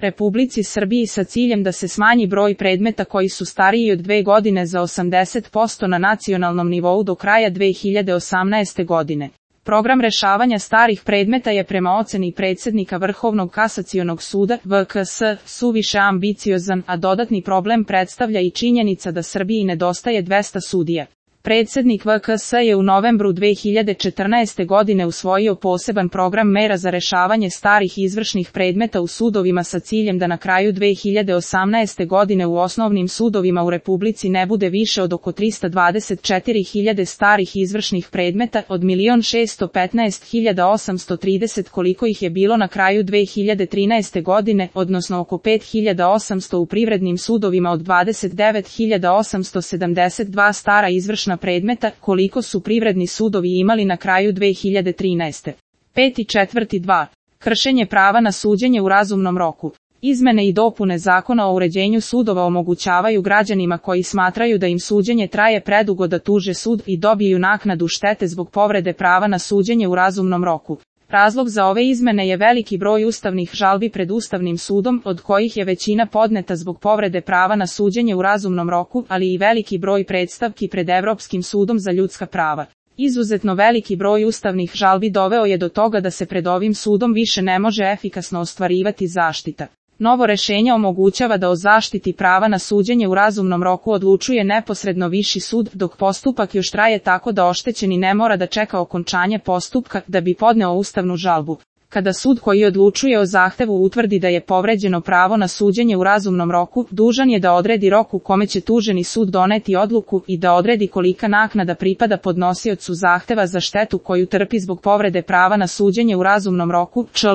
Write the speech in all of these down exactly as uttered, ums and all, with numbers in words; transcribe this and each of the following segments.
Republici Srbiji sa ciljem da se smanji broj predmeta koji su stariji od dve godine za osamdeset posto na nacionalnom nivou do kraja dve hiljade osamnaeste godine. Program rešavanja starih predmeta je prema oceni predsjednika Vrhovnog kasacionog suda V K S suviše ambiciozan, a dodatni problem predstavlja i činjenica da Srbiji nedostaje dvesta sudija. Predsjednik V K S je u novembru dve hiljade četrnaeste. godine usvojio poseban program mera za rešavanje starih izvršnih predmeta u sudovima sa ciljem da na kraju dve hiljade osamnaeste. godine u osnovnim sudovima u Republici ne bude više od oko trista dvadeset četiri hiljade starih izvršnih predmeta od milion šesto petnaest hiljada osamsto trideset koliko ih je bilo na kraju dve hiljade trinaeste. godine, odnosno oko pet hiljada osamsto u privrednim sudovima od dvadeset devet hiljada osamsto sedamdeset dva stara izvršna predmeta, koliko su privredni sudovi imali na kraju dve hiljade trinaeste. Peti četvrti dva. Kršenje prava na suđenje u razumnom roku. Izmene i dopune Zakona o uređenju sudova omogućavaju građanima koji smatraju da im suđenje traje predugo da tuže sud i dobiju naknadu štete zbog povrede prava na suđenje u razumnom roku. Razlog za ove izmene je veliki broj ustavnih žalbi pred Ustavnim sudom, od kojih je većina podneta zbog povrede prava na suđenje u razumnom roku, ali i veliki broj predstavki pred Evropskim sudom za ljudska prava. Izuzetno veliki broj ustavnih žalbi doveo je do toga da se pred ovim sudom više ne može efikasno ostvarivati zaštita. Novo rešenje omogućava da o zaštiti prava na suđenje u razumnom roku odlučuje neposredno viši sud, dok postupak još traje tako da oštećeni ne mora da čeka okončanje postupka da bi podneo ustavnu žalbu. Kada sud koji odlučuje o zahtevu utvrdi da je povređeno pravo na suđenje u razumnom roku, dužan je da odredi rok u kome će tuženi sud doneti odluku i da odredi kolika naknada pripada podnosiocu zahteva za štetu koju trpi zbog povrede prava na suđenje u razumnom roku, čl.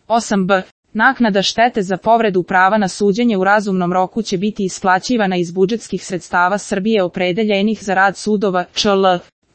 osam b. Naknada štete za povredu prava na suđenje u razumnom roku će biti isplaćivana iz budžetskih sredstava Srbije opredeljenih za rad sudova, čl.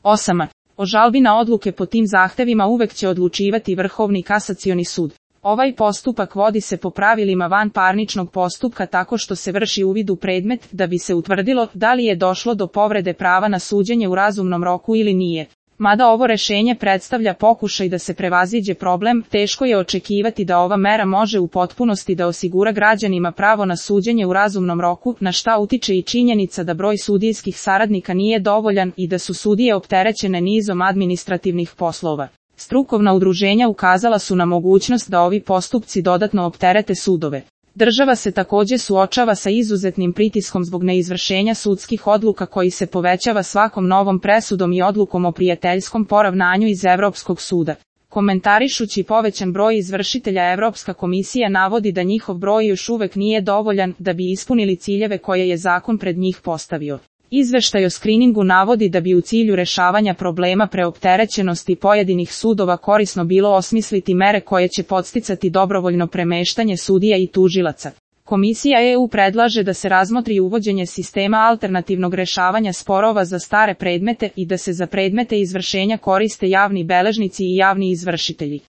osam. O žalbi na odluke po tim zahtevima uvek će odlučivati Vrhovni kasacioni sud. Ovaj postupak vodi se po pravilima vanparničnog postupka tako što se vrši uvid u predmet da bi se utvrdilo da li je došlo do povrede prava na suđenje u razumnom roku ili nije. Mada ovo rešenje predstavlja pokušaj da se prevaziđe problem, teško je očekivati da ova mera može u potpunosti da osigura građanima pravo na suđenje u razumnom roku, na šta utiče i činjenica da broj sudijskih saradnika nije dovoljan i da su sudije opterećene nizom administrativnih poslova. Strukovna udruženja ukazala su na mogućnost da ovi postupci dodatno opterete sudove. Država se takođe suočava sa izuzetnim pritiskom zbog neizvršenja sudskih odluka koji se povećava svakom novom presudom i odlukom o prijateljskom poravnanju iz Evropskog suda. Komentarišući povećan broj izvršitelja, Evropska komisija navodi da njihov broj još uvek nije dovoljan da bi ispunili ciljeve koje je zakon pred njih postavio. Izveštaj o skriningu navodi da bi u cilju rešavanja problema preopterećenosti pojedinih sudova korisno bilo osmisliti mere koje će podsticati dobrovoljno premeštanje sudija i tužilaca. Komisija E U predlaže da se razmotri uvođenje sistema alternativnog rešavanja sporova za stare predmete i da se za predmete izvršenja koriste javni beležnici i javni izvršitelji.